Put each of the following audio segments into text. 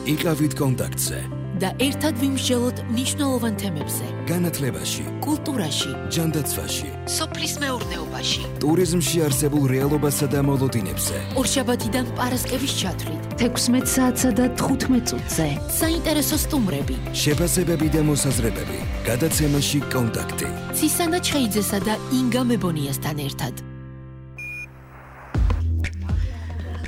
იყავით კონტაქტზე და ერთად ვიმსჯელოთ მნიშვნელოვან თემებზე. განათლებაში, კულტურაში, ჯანდაცვაში, სოფლის მეურნეობაში, ტურიზმში არსებულ რეალობასა და მოლოდინებზე. ორშაბათიდან პარასკევის ჩათვლით 16 საათსა და 15 წუთზე. საინტერესო სტუმრები, შეფასებები და მოსაზრებები. გადაცემაში კონტაქტი. ცისანა ჩხეიძესა და ინგა მებონიასთან ერთად.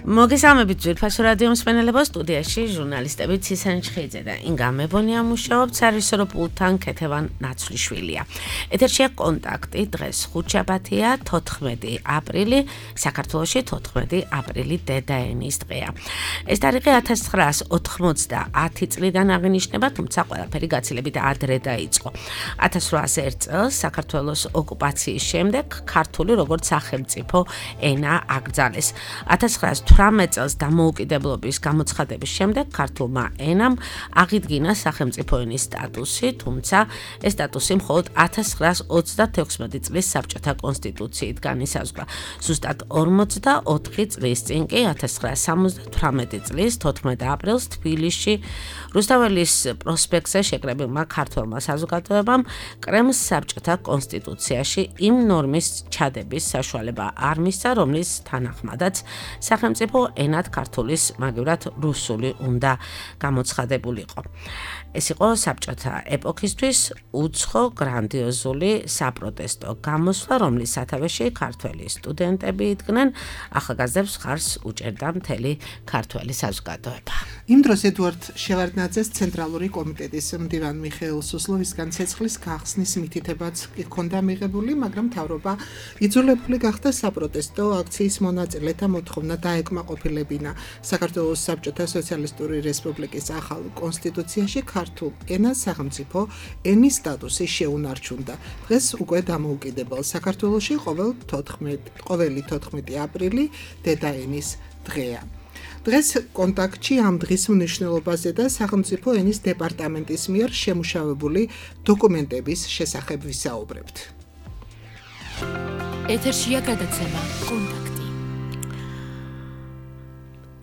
მოგესალმებით ძვირფასო რადიო მსმენელებო, სტუდიაში ჟურნალისტები ცისანა ჩხეიძე და ინგა მებონია მუშაობთ, სარესორო პულტთან ქეთევან ნაცვლიშვილია. ეთერშია კონტაქტი, დღეს ხუთშაბათია, 14 აპრილი, საქართველოში 14 აპრილი დედაენის დღეა. ეს თარიღი 1990 წლიდან აღინიშნება, თუმცა ყველაფერი გაცილებით ადრე დაიწყო. 1801 წელს საქართველოს ოკუპაციის შემდეგ ქართული როგორც სახელმწიფო ენა აკრძალეს. 1918 წელს დამოუკიდებლობის გამოცხადების შემდეგ ქართულმა ენამ აღიდგინა სახელმწიფო ენის სტატუსი, თუმცა ეს სტატუსი მხოლოდ 1936 წლის საბჭოთა კონსტიტუციით განისაზღვრა. ზუსტად 44 წლის წინ კი 1978 წლის 14 აპრილს თბილისში რუსთაველის პროსპექტზე შეკრებილმა ქართველმა საზოგადოებამ კრემლს საბჭოთა კონსტიტუციაში იმ ნორმის ჩადების საშუალება არ მისცა, რომლის თანახმადაც სახელმწიფო ენად ქართულის მაგივრად რუსული უნდა გამოცხადებულიყო. ეს იყო საბჭოთა ეპოქისთვის უცხო გრანდიოზული საპროტესტო გამოსვლა, რომლის სათავეში ქართველი სტუდენტები იდგნენ, ახალგაზრდებს ხარს უჭერდა მთელი ქართველი საზოგადოება. იმ დროს ედუარდ შევარდნაძეს ცენტრალური კომიტეტის მდივან მიხეილ სუსლოვისგან ცეცხლის გახსნის მითითებაც ჰქონდა მიღებული, მაგრამ მთავრობა იძულებული გახდა საპროტესტო აქციის მონაწილეთა მოთხოვნა დაეკმაყოფილებინა. საქართველოს საბჭოთა სოციალისტური რესპუბლიკის ახალ კონსტიტუციაში ქართულ ენას სახელმწიფო ენის სტატუსი შეუნარჩუნდა. დღეს უკვე დამოუკიდებელ საქართველოში ყოველი 14 აპრილი დედაენის დღეა. დღეს კონტაქტში ამ დღის მნიშვნელობაზე და სახელმწიფო ენის დეპარტამენტის მიერ შემუშავებული დოკუმენტების შესახებ ვისაუბრებთ. ეთერშია გადაცემა კონტაქტი.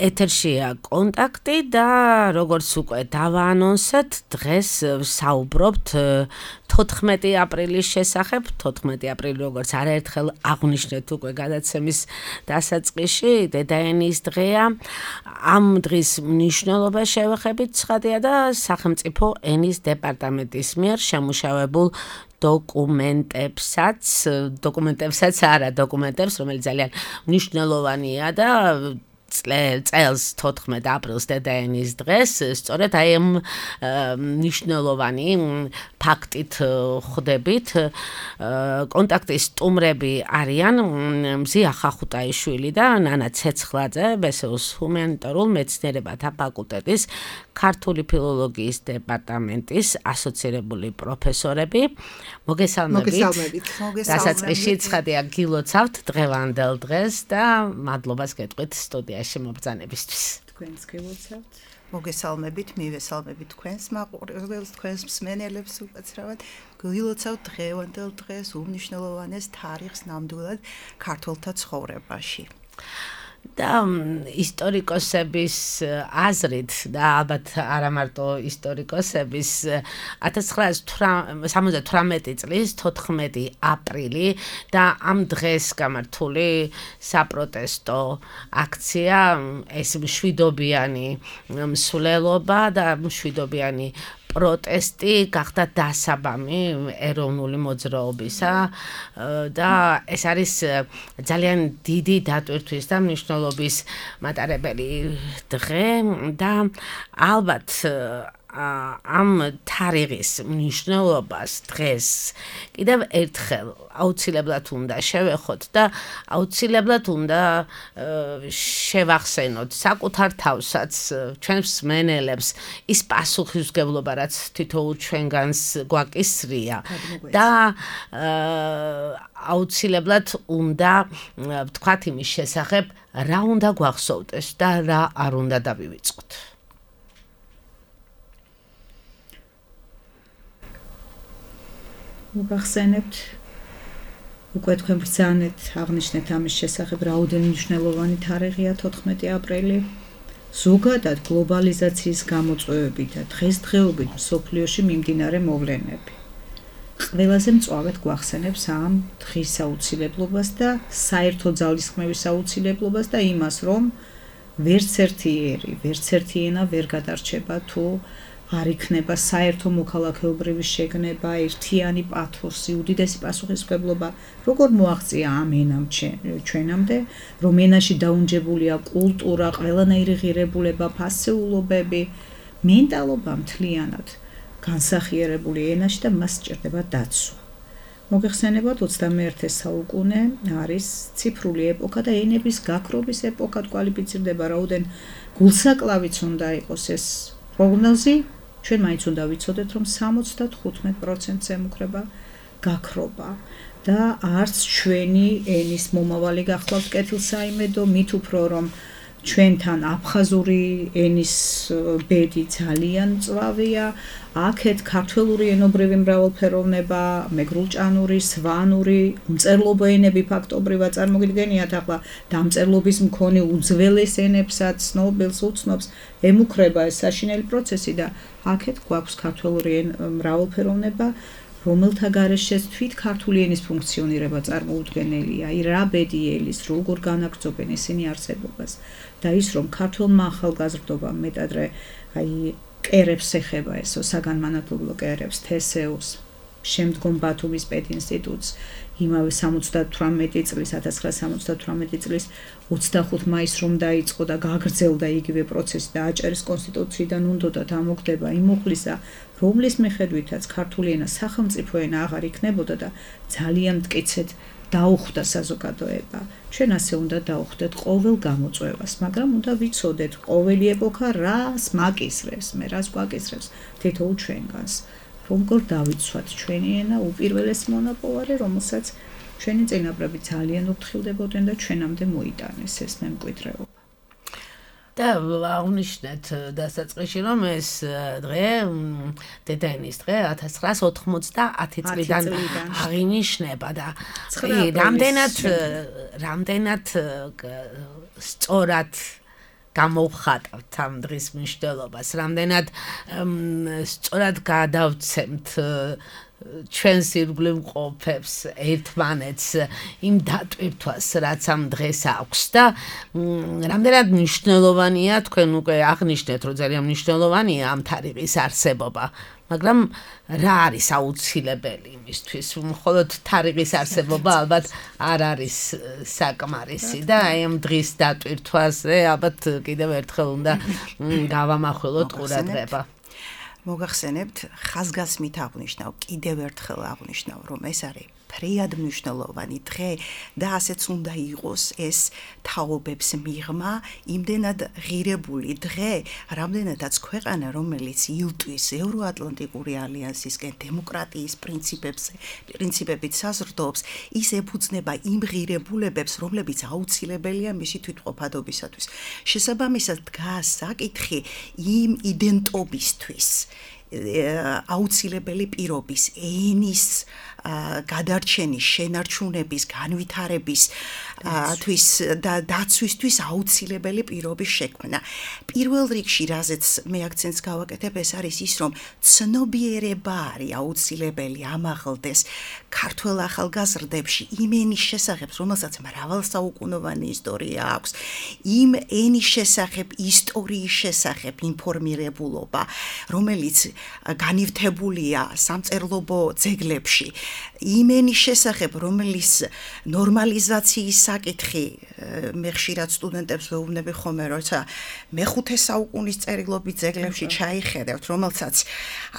ეთერშია კონტაქტი და როგორც უკვე დავაანონსეთ, დღეს საუბრობთ 14 აპრილის შესახებ. 14 აპრილი როგორც არაერთხელ აღვნიშნეთ უკვე გადაცემის დასაწყისში, დედაენის დღეა. ამ დღის მნიშვნელობა შევეხებით ცხადია და სახელმწიფო ენის დეპარტამენტის მიერ შემუშავებულ დოკუმენტებსაც, რომელიც ძალიან მნიშვნელოვანია და წელს 14 აპრილს დედაენის დღეს სწორედ აი ამ მნიშვნელოვანი ფაქტით ხვდებით. კონტაქტის სტუმრები არიან მზია ხახუტაიშვილი და ნანა ცეცხლაძე, ბესეუს ჰუმანიტარულ მეცნიერებათა ფაკულტეტის ქართული ფილოლოგიის დეპარტამენტის ასოცირებული პროფესორები. მოგესალმებით. დასაწყისში ცხადია გილოცავთ დღევანდელ დღეს და მადლობას გეტყვით სტუდიაში მობრძანებისთვის. თქვენს გილოცავთ. მოგესალმებით, მივესალმებით თქვენს მაყურებელს, თქვენს მსმენელებს უკაცრავად. გილოცავთ დღევანდელ დღეს უმნიშვნელოვანეს თარიღს ნამდვილად ქართველთა ცხოვრებაში. და ისტორიკოსების აზრით და ალბათ არა მარტო ისტორიკოსების 1978 წლის 14 აპრილი და ამ დღეს გამართული საპროტესტო აქცია, ეს მშვიდობიანი მსვლელობა და მშვიდობიანი პროტესტი გახდა დასაბამი ეროვნული მოძრაობისა და ეს არის ძალიან დიდი დატვირთვის და მნიშვნელობის მატარებელი დღე და ალბათ ამ თარიღის მნიშვნელობას დღეს კიდევ ერთხელ აუცილებლად უნდა შევეხოთ და აუცილებლად უნდა შევახსენოთ საკუთარ თავსაც, ჩვენს მსმენელებს ის პასუხისმგებლობა, რაც თითოეულ ჩვენგანს გვაკისრია და აუცილებლად უნდა ვთქვათ იმის შესახებ, რა უნდა გვახსოვდეს და რა არ უნდა დავივიწყოთ. მოგახსენებთ უკვე თქვენ ბრძანეთ, აღნიშნეთ ამის შესახებ, რაოდენი მნიშვნელოვანი თარიღია 14 აპრილი. ზოგადად გლობალიზაციის გამოწვევები და დღესდღეობით მსოფლიოში მიმდინარე მოვლენები. ყველაზე მწვავედ გვახსენებს ამ დღის აუცილებლობას და საერთო ძალისხმევის აუცილებლობას და იმას, რომ ვერც ერთი ერი, ვერც ერთი ენა ვერ გადარჩება თუ არ იქნება საერთო მოქალაქეობრივი შეგნება, ერთიანი პათოსი, უდიდესი პასუხისმგებლობა, როგორ მოაღწია ამ ენამ ჩვენამდე, რომ ენაში დაუნჯებულია კულტურა, ყველანაირი ღირებულება, ფასეულობები, მენტალობა მთლიანად განსახიერებული ენაში და მას სჭირდება დაცვა. მოგეხსენებათ 21 საუკუნე არის ციფრული ეპოქა და ენების გაქრობის ეპოქად კვალიფიცირდება, რაოდენ გულსაკლავიც უნდა იყოს ეს პროგნოზი, ჩვენ მაინც უნდა ვიცოდეთ, რომ 75%-ზე ემუქრება გაქრობა და არც ჩვენი ენის მომავალი გახლავთ კეთილსაიმედო, მით უფრო რომ ჩვენთან აფხაზური ენის ბედი ძალიან მწვავეა, აქეთ ქართველური ენობრივი მრავალფეროვნება, მეგრულჭანური, სვანური, უმწერლობო ენები ფაქტობრივად წარმოგიდგენიათ, ახლა დამწერლობის მქონე უძველეს ენებსაც ცნობილს უცნობს, ემუქრება ეს საშინელი პროცესი და აქეთ გვაქვს ქართველური მრავალფეროვნება, რომელთა გარეშეც თვით ქართული ენის ფუნქციონირება წარმოუდგენელია, რა ბედი ელის, როგორ განაგრძობენ ისინი არსებობას და ის რომ ქართველმა ახალგაზრდობამ მეტადრე კერებს ეხება ესო საგანმანათლებლო კერებს, თესეუს, შემდგომ ბათუმის პედინსტიტუტს, იმავე 78 წლის 1978 წლის 25 მაისს რომ დაიწყო და გაგრძელდა იგივე პროცესი და აჭარის კონსტიტუციიდან უნდოდა დამოუკდება იმ უხლისა, რომლის მიხედვითაც ქართული ენა სახელმწიფო ენა აღარ იქნებოდა და ძალიან მტკიცედ დაუხვდა საზოგადოება. ჩვენ ასე უნდა დაუხვდეთ ყოველ გამოწვევას, მაგრამ უნდა ვიცოდეთ ყოველი ეპოქა რას მაკისრებს, მე რას გვაკისრებს თითოეულ ჩვენგანს. როგორ დავიცვათ ჩვენი ენა უპირველეს მონაპოვარი, რომელსაც ჩვენი წინაპრები ძალიან უფრთხილდებოდნენ და ჩვენამდე მოიტანეს ეს მემკვიდრეობა. და აღნიშნეთ დასაწყისში რომ ეს დღე დედაენის დღე 1990 წლიდან აღინიშნება და რამდენად სწორად გამოვხატავთ ამ დღის მნიშვნელობას, რამდენად სწორად გადავცემთ ჩვენს ირგვლივ მყოფებს ერთმანეთს იმ დატვირთვას, რაც ამ დღეს აქვს და რამდენად მნიშვნელოვანია, თქვენ უკვე აღნიშნეთ, რომ ძალიან მნიშვნელოვანია ამ თარიღის არსებობა, მაგრამ რა არის აუცილებელი იმისთვის? მხოლოდ თარიღის არსებობა ალბათ არ არის საკმარისი და აი ამ დღის დატვირთვაზე ალბათ კიდევ ერთხელ უნდა გავამახვილოთ ყურადღება. მოგახსენებთ, ხაზგასმით აღნიშნავ, კიდევ ერთხელ აღნიშნავ, რომ ეს არის ფრიად მნიშვნელოვანი დღე და ასეც უნდა იყოს ეს თაობებს მიღმა, იმდენად ღირებული დღე, რამდენადაც ქვეყანა, რომელიც ილტვის ევროატლანტიკური ალიანსისკენ დემოკრატიის პრინციპებით საზრდოობს, ის ეფუძნება იმ ღირებულებებს, რომლებიც აუცილებელია მისი თვითმყოფადობისათვის. შესაბამისად დგას საკითხი იმ იდენტობისთვის, აუცილებელი პირობის, ენის გადარჩენის, შენარჩუნების, განვითარების და დაცვისთვის აუცილებელი პირობის შექმნა. პირველ რიგში, რაზეც მე აქცენტს გავაკეთებ, ეს არის ის, რომ ცნობიერება არის აუცილებელი ამაღლდეს ქართველ ახალგაზრდებში იმ ენის შესახებ, რომელსაც მრავალსაუკუნოვანი ისტორია აქვს, იმ ენის შესახებ, ისტორიის შესახებ ინფორმირებულობა, რომელიც განივთებულია სამწერლობო ძეგლებში, იმ ენის შესახებ, რომელიც ნორმალიზაციის საკითხი, მე ხშირად სტუდენტებს ვეუბნები ხოლმე, როცა მეხუთე საუკუნის წერილობით ძეგლებში ჩაიხედავთ, რომელსაც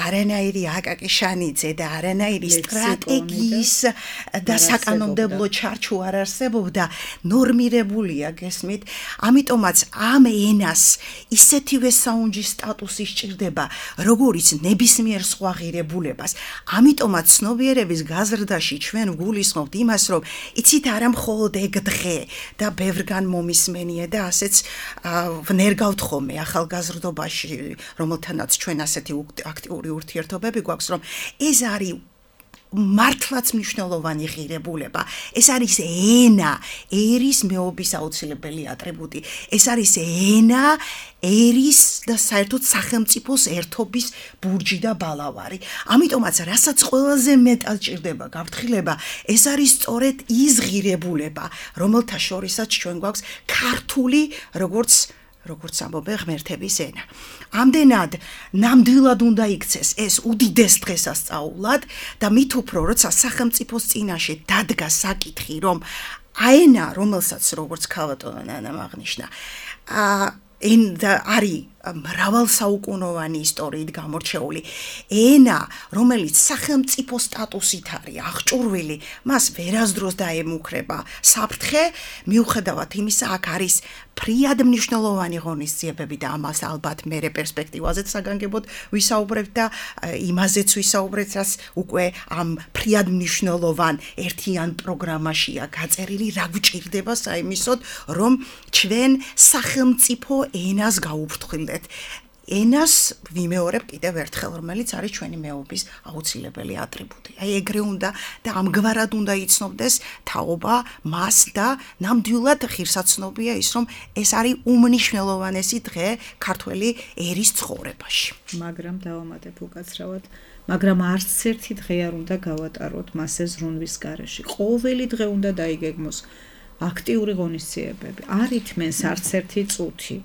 არანაირი აკაკი შანიძე და არანაირი სტრატეგიის და საკანონმდებლო ჩარჩო არ არსებობდა, ნორმირებულია, გესმით? ამიტომაც ამ ენას ისეთივე საუნჯის სტატუსი სჭირდება, როგორიც ნებისმიერ სხვა ღირებულებას. ამიტომაც ცნობიერების გაზრდაში ჩვენ ვგულისხმობთ იმას, რომ იცით არა მხოლოდ ეგ დღე და ბევრგან მომისმენია და ასეც ვნერგავთ ხოლმე ახალგაზრდობაში, რომელთანაც ჩვენ ასეთი აქტიური ურთიერთობები გვაქვს, რომ ეს არის მართლაც მნიშვნელოვანი ღირებულება. ეს არის ენა, ერის მეობის აუცილებელი ატრიბუტი. ეს არის ენა, ერის და საერთოდ სახელმწიფოს ერთობის ბურჯი და ბალავარი. ამიტომაც, რასაც ყველაზე მეტად ჭირდება გაფრთხილება, ეს არის სწორედ ის ღირებულება, რომელთა შორისაც ჩვენ გვაქვს ქართული, როგორც ამბობენ ღმერთების ენა. ამდენად ნამდვილად უნდა იქცეს ეს უდიდეს დღესასწაულად და მით უფრო როცა სახელმწიფოს წინაშე დადგა საკითხი, რომ აენა, რომელსაც როგორც ქალბატონი ნანამ აღნიშნა, არის მრავალსაუკუნოვანი ისტორიით გამორჩეული ენა, რომელიც სახელმწიფო სტატუსით არის აღჭურვილი, მას ვერასდროს დაემუქრება საფრთხე, მიუხედავად იმისა, აქ არის ფრიად მნიშვნელოვანი ღონისძიებები და ამას ალბათ მერე პერსპექტივაზეც საგანგებოდ ვისაუბრებთ და იმაზეც ვისაუბრებთ, რაც უკვე ამ ფრიად მნიშვნელოვან ერთიან პროგრამაშია გაწერილი, რა გვჭირდება საიმისოდ, რომ ჩვენ სახელმწიფო ენას გაუფრთხილდეთ. ენას ვიმეორებ კიდევ ერთხელ, რომელიც არის ჩვენი მეობის აუცილებელი ატრიბუტი. აი ეგრე უნდა და ამგვარად უნდა იცნობდეს თაობა მას და ნამდვილად ღირსაცნობია ის, რომ ეს არის უმნიშვნელოვანესი დღე ქართველი ერის ცხოვრებაში. მაგრამ დავამატებ უკაცრავად, მაგრამ არც ერთი დღე არ უნდა გავატაროთ მასე ზრუნვის გარეშე. ყოველი დღე უნდა დაიგეგმოს აქტიური ღონისძიებები. არ ითმენს არც ერთი წუთი.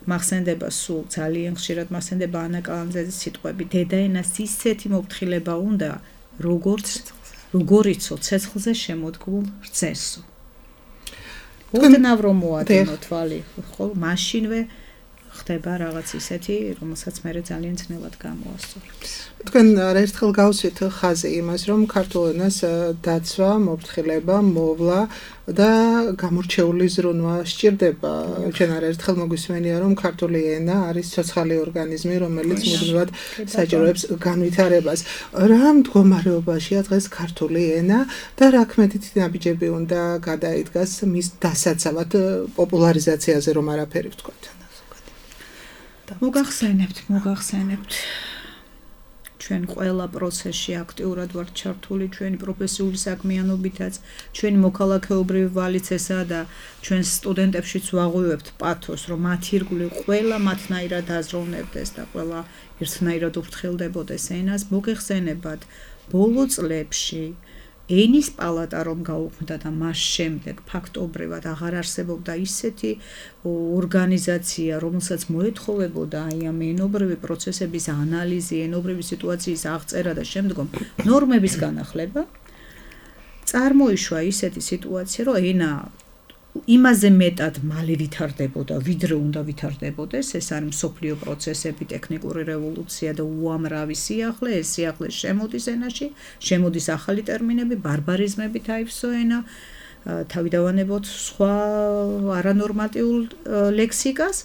მახსენდება სულ ძალიან ხშირად მახსენდება ანა კალანძაძის სიტყვები, დედაენას ისეთი მოფრთხილება უნდა, როგორიცო ცეცხლზე შემოდგმულ რძესო. ოდნავ რომ მოადენო თვალი, ხო, მაშინვე ხდება რაღაც ისეთი, რომელსაც მე ძალიან ძნელად გამოასწორებს. თქვენ არაერთხელ გავსვით ხაზი იმას, რომ ქართულ ენას დაცვა, მოფრთხილება, მოვლა და გამორჩეული ზრუნვა სჭირდება. ჩვენ არაერთხელ მოგვისმენია, რომ ქართული ენა არის ცოცხალი ორგანიზმი, რომელიც მუდმივად საჭიროებს განვითარებას. რა მდგომარეობაშია დღეს ქართული ენა და რა ქმედითი ნაბიჯები უნდა გადაიდგას მის დასაცავად პოპულარიზაციაზე, რომ არაფერი ვთქვათ. მოგახსენებთ. ჩვენ ყველა პროცესში აქტიურად ვართ ჩართული, ჩვენი პროფესიული საქმიანობითაც, ჩვენი მოქალაქეობრივი ვალიც ესაა და ჩვენ სტუდენტებშიც ვაღვივებთ პათოს, რომ მათი ირგვლივ ყველა მათნაირად აზროვნებდეს და ყველა ერთნაირად უფრთხილდებოდეს ენას. მოგეხსენებათ, ბოლო წლებში ენის პალატა რომ გაუქმდა და მას შემდეგ ფაქტობრივად აღარ არსებობდა ისეთი ორგანიზაცია, რომელსაც მოეთხოვებოდა აი ამ ენობრივი პროცესების ანალიზი, ენობრივი სიტუაციის აღწერა და შემდგომ ნორმების განახლება, წარმოიშვა ისეთი სიტუაცია, რომ ენა იმაზე მეტად მალე ვითარდებოდა, ვიდრე უნდა ვითარდებოდეს, ეს არის მსოფლიო პროცესები, ტექნიკური რევოლუცია და უამრავი სიახლე, ეს სიახლე შემოდის ენაში, შემოდის ახალი ტერმინები, ბარბარიზმები დაიფსო ენა, თავიდანვანებოთ სხვა არანორმატიულ ლექსიკას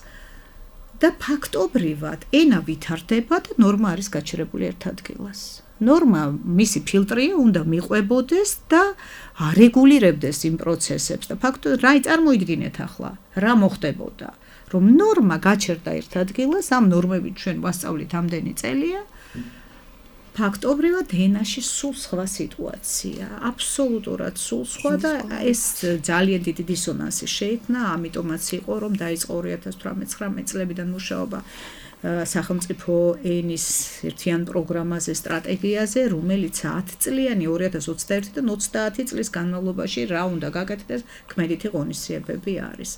და ფაქტობრივად ენა ვითარდება და ნორმა არის გაჩერებული ერთ ადგილას. ნორმა მისი ფილტრია უნდა მიყვებოდეს და არეგულირებდეს იმ პროცესებს და ფაქტობრივად რა წარმოიდგინეთ ახლა რა მოხდებოდა რომ ნორმა გაჩერდა ერთ ადგილას ამ ნორმებით ჩვენ ვასწავლით ამდენი წელია ფაქტობრივად ენაში სულ სხვა სიტუაცია აბსოლუტურად სულ სხვა და ეს ძალიან დიდი დისონანსი შეიქმნა ამიტომაც იყო რომ დაიწყო 2018-19 წლებიდან მუშაობა სახელმწიფო ენის ერთიან პროგრამაზე, სტრატეგიაზე, რომელიც 10 წლიანი 2021-დან 30 წლის განმავლობაში რა უნდა გაკეთდეს, ქმედითი ღონისძიებები არის.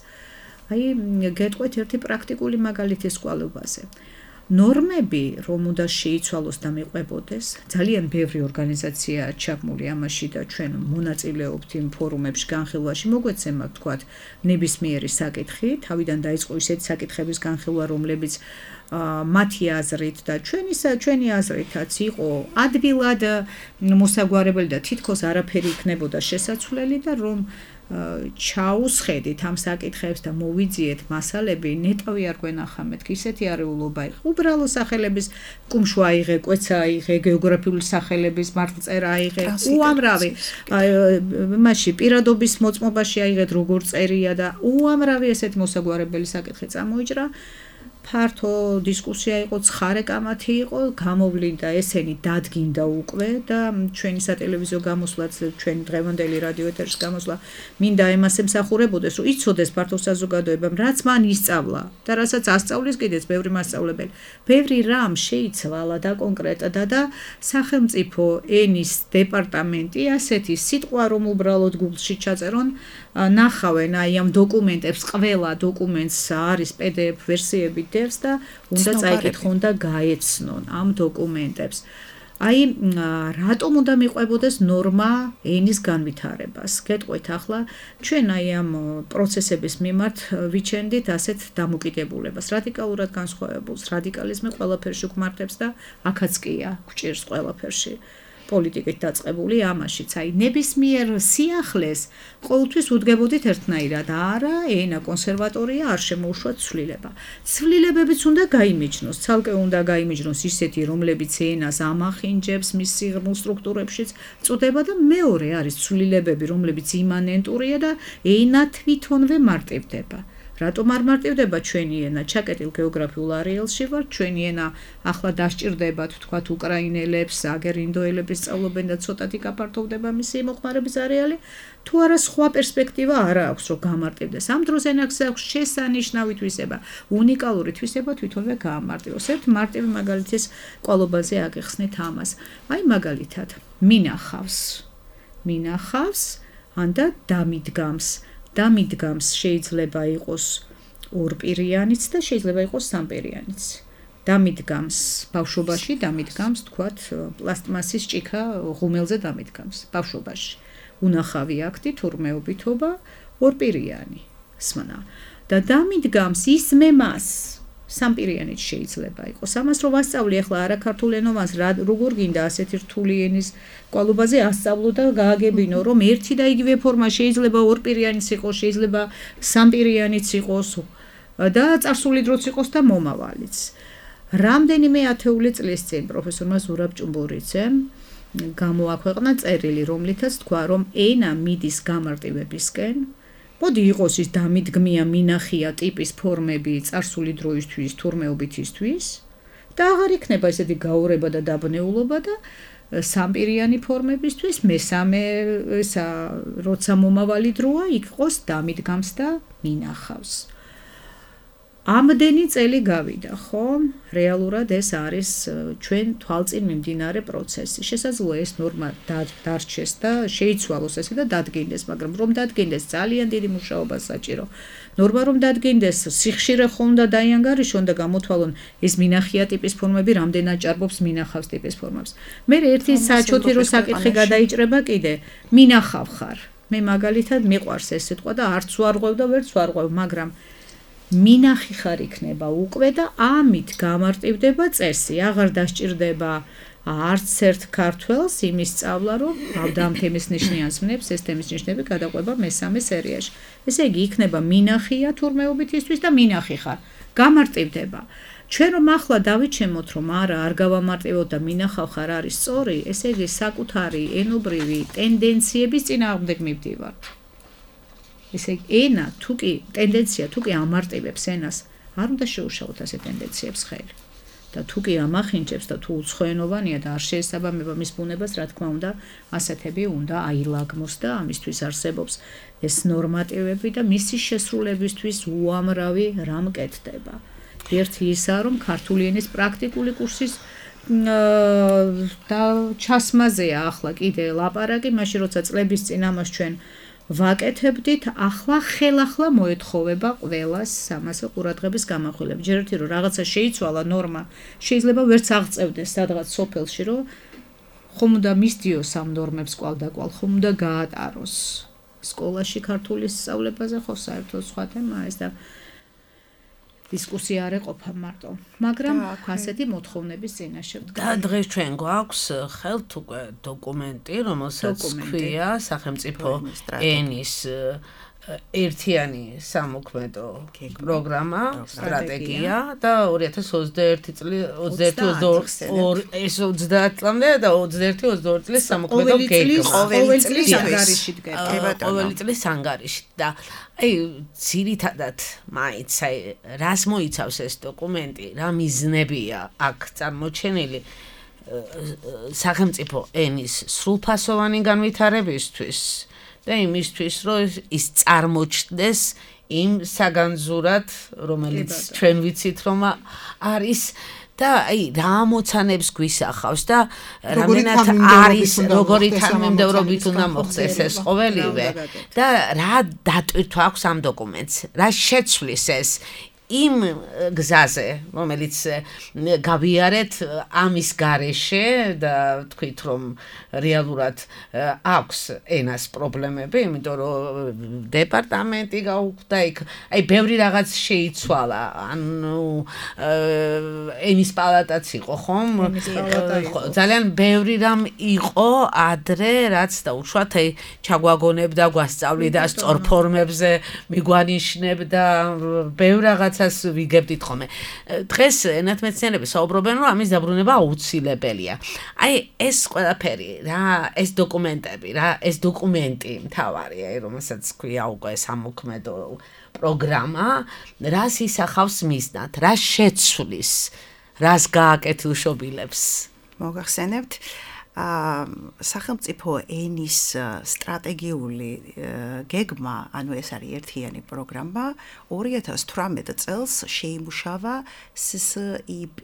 აი, გეტყვით ერთი პრაქტიკული მაგალითი სკვალობაზე. ნორმები, რომ უნდა შეიცვალოს და მიყვებოდეს, ძალიან ბევრი ორგანიზაცია ჩაბმული ამაში და ჩვენ მონაწილეობთ იმ ფორუმებში განხილვაში, მოგვეცემა ვთქვათ, ნებისმიერი საკითხი, თავიდან დაიწყო ისეთი საკითხების განხილვა, რომლებიც მათი აზრით და ჩვენი აზრითაც იყო ადვილად მოსაგვარებელი და თითქოს არაფერი იქნებოდა შესაძლებელი და რომ ჩაუსხედით ამ საკითხებს და მოვიძიეთ მასალები, ნეტავი არ გვენახა მეთქ, ისეთი არეულობა იყო. უბრალო სახელების კუმშვა აიღე, კვეცა აიღე, გეოგრაფიული სახელების მართლწერა აიღე, უამრავი მასში პირადობის მოწმობაში აიღეთ, როგორ წერია და უამრავი ესეთი მოსაგვარებელი საკითხი წამოიჭრა. ფართო დისკუსია იყო, ცხარე კამათი იყო, გამოვლინდა ესენი დადგინდა უკვე და ჩვენი სატელევიზიო გამოსვლაც, ჩვენი დღევანდელი რადიო ეთერის გამოსვლა მინდა ემას ემსახურებოდეს, რომ იცოდეს ფართო საზოგადოებამ, რაც მან ისწავლა და რასაც ასწავლის კიდეც ბევრი მასწავლებელი. ბევრი რამ შეიცვალა და კონკრეტდა და სახელმწიფო ენის დეპარტამენტი ასეთი სიტყვა რომ უბრალოდ Google-ში ჩაწერონ, ნახავენ აი ამ დოკუმენტებს, ყველა დოკუმენტს არის PDF ვერსიები დევს და უნდა წაიკითხონ და გაეცნონ ამ დოკუმენტებს. აი რატომ უნდა მიყვებოდეს ნორმა ენის განვითარებას? გეტყვით ახლა ჩვენ აი ამ პროცესების მიმართ ვიჩენდით ასეთ დამოკიდებულებას, რადიკალურად განსხვავებულს, რადიკალიზმი ყველაფერში გვმართებს და აქაც კია, გვჭირს ყველაფერში. პოლიტიკით დაწყებული ამაშიც, აი ნებისმიერ სიახლეს ყოველთვის უდგებოდით ერთნაირად, არა, ენა კონსერვატორია, არ შემოუშვათ ცვლილება. ცვლილებებიც უნდა გაიმიჯნოს, ცალკე უნდა გაიმიჯნოს ისეთი, რომლებიც ენას ამახინჯებს მის სიღრმულ სტრუქტურებშიც წუდება და მეორე არის ცვლილებები, რომლებიც იმანენტურია და ენა თვითონვე მარტივდება. რატომ არ მარტივდება ჩვენი ენა? ჩაკეტილ გეოგრაფიულ არეალში ვარ, ჩვენი ენა ახლა დასჭირდებათ, თქვათ, უკრაინელებს, აგერ ინდოელებს სწავლობენ და ცოტათი გაფართოვდება მისი მოხმარების არეალი, თუ არა სხვა პერსპექტივა არ აქვს, რომ გამარტივდეს. ამ დროს ენას აქვს შესანიშნავი თვისება, უნიკალური თვისება თვითონვე გაამარტივოს. ერთ მარტივი მაგალითის ყვალობაზე აგეხსნით ამას. აი მაგალითად, მინახავს, ანდა დამიდგამს. დამიდგამს შეიძლება იყოს ორპირიანიც და შეიძლება იყოს სამპირიანიც. დამიდგამს ბავშვობაში, დამიდგამს თქვათ პლასტმასის ჭიქა ღუმელზე დამიდგამს ბავშვობაში. უნახავი აქტი, თურმეობითობა, ორპირიანი სმენა. და დამიდგამს ისმემას სამპირიანიც შეიძლება იყოს. ამას რო ვასწავლი ახლა არაქართულენოვანს, როგორ გინდა ასეთი რთული ენის ყვალობაზე ასწავლო და გააგებინო, რომ ერთი და იგივე ფორმა შეიძლება ორპირიანიც იყოს, შეიძლება სამპირიანიც იყოს და წარსული დროც იყოს და მომავალიც. რამდენიმე ათეული წლის წინ პროფესორმა ზურაბ ჭუმბურიძემ გამოაქვეყნა წერილი, რომლითაც თქვა, რომ ენა მიდის გამარტივებისკენ. მოდი იყოს ის დამიდგმია, მინახია ტიპის ფორმები წარსული დროისთვის, თურმეობითისთვის და აღარ იქნება ესეთი გაურება და დაბნეულობა და სამპირიანი ფორმებისთვის მესამე ესა როცა მომავალი დროა იყოს დამიდგამს და მინახავს. ამდენი წელი გავიდა, ხო? რეალურად ეს არის ჩვენ თვალწინ მიმდინარე პროცესი. შესაძლოა ეს ნორმა დარჩეს და შეიცვალოს ესე და დადგინდეს, მაგრამ რომ დადგინდეს ძალიან დიდი მუშაობა საჭირო. ნორმა რომ დადგინდეს, სიხშირე ხომ და დაიანგარიშონ და გამოთვალონ ეს მინახია ტიპის ფორმები რამდენად ჭარბობს მინახავს ტიპის ფორმებს. მე ერთი საჩოთი რო საკითხი გადაიჭრება კიდე, მინახავ ხარ. მე მაგალითად მიყვარს ეს სიტყვა და არც ვარღვევ და ვერც ვარღვევ, მაგრამ მინახი ხარ იქნება უკვე და ამით გამარტივდება წესი. აღარ დასჭირდება არც ერთ ქართველს იმის სწავლა, რომ ამ თემის ნიშნიანს ვნებს, ეს თემის ნიშნები გადაყვება მესამე სერიაში. ესე იგი იქნება მინახია თურმეობითისთვის და მინახი ხარ. გამარტივდება. ჩვენ რომ ახლა დავიჩემოთ, რომ არა, არ გავამარტივოთ და მინახავ ხარ არის სწორი, ესე იგი საკუთარი ენობრივი ტენდენციების წინააღმდეგ მივდივართ. ესე ენა თუკი ტენდენცია თუკი ამარტივებს ენას, არ უნდა შეუშალოთ ასე ტენდენციებს ხელი. და თუკი ამახინჯებს და თუ უცხოენოვანია და არ შეესაბამება მის ბუნებას, რა თქმა უნდა, ასეთები უნდა აილაგმოს და ამისთვის არსებობს ეს ნორმატივები და მისი შესრულებისთვის უამრავი რამ კეთდება. ერთი ისაა, რომ ქართული ენის პრაქტიკული კურსის და ჩასმაზეა ახლა კიდე ლაპარაკი, მაშინ როცა წლების წინ ამას ჩვენ ვაკეთებდით, ახლა ხელახლა მოეთხოვება ყველას ამასე ყურადღების გამახვილება. ჯერ ერთი რომ რაღაცა შეიცვალა ნორმა, შეიძლება ვერც აღწევდეს სადღაც სოფელში, რომ ხომ უნდა მისდიოს ამ ნორმებს კვალდაკვალ, ხომ უნდა გაატაროს. სკოლაში ქართულის სწავლებაზე ხო საერთოდ სხვა თემაა ეს და დისკუსია არ ეყოფა მარტო, მაგრამ ასეთი მოთხოვნების წინაშე ვდგა. და დღეს ჩვენ გვაქვს ხელთ უკვე დოკუმენტი, რომელსაც ქვია სახელმწიფო ენის ერთიანი სამოქმედო პროგრამა, სტრატეგია და 2021 წლის 21-22 წლამდე და 21-22 წლის სამოქმედო გეგმა. ყოველი წლის ანგარიში დგება. ყოველი წლის ანგარიში და ძირითადად მაინც რას მოიცავს ეს დოკუმენტი, რა მიზნებია აქ წარმოჩენილი სახელმწიფო ენის სრულფასოვანი განვითარებისთვის და იმისთვის, რომ ის წარმოჩნდეს იმ საგანძურად, რომელიც ჩვენ ვიცით, რომ არის და რა ამოცანებს გვისახავს და რამდენად არის როგორი თანმიმდევრობით უნდა მოხდეს ეს ყოველივე და რა დატვირთვა აქვს ამ დოკუმენტს, რა შეცვლის ეს იმ გზაზე, რომელიც გავიარეთ ამის garaშე და თქვით რომ რეალურად აქვს ენას პრობლემები, იმიტომ რომ დეპარტამენტი გაუქმდა იქ, ბევრი რაღაც შეიცვალა, ანუ ენის პალატაც იყო, ხომ? ძალიან ბევრი რამ იყო ადრე, რაც დაუშვათ ჩაგვაგონებდა, გვასწავლიდა სწორ ფორმებზე, მიგვანიშნებდა ბევრ რაღაც ვიგებდით ხოლმე. დღეს ენათმეცნიერები საუბრობენ, რომ ამის დაბრუნება აუცილებელია. ეს ყველაფერი, ეს დოკუმენტები, ეს დოკუმენტი მთავარია, რომელსაც ქვია უკვე სამოქმედო პროგრამა, რას ისახავს მიზნად, რას შეცვლის, რას გააკეთილშობილებს. მოგახსენებთ სახელმწიფო ენის სტრატეგიული გეგმა, ანუ ეს არის ერთიანი პროგრამა, 2018 წელს შეიმუშავა SSIP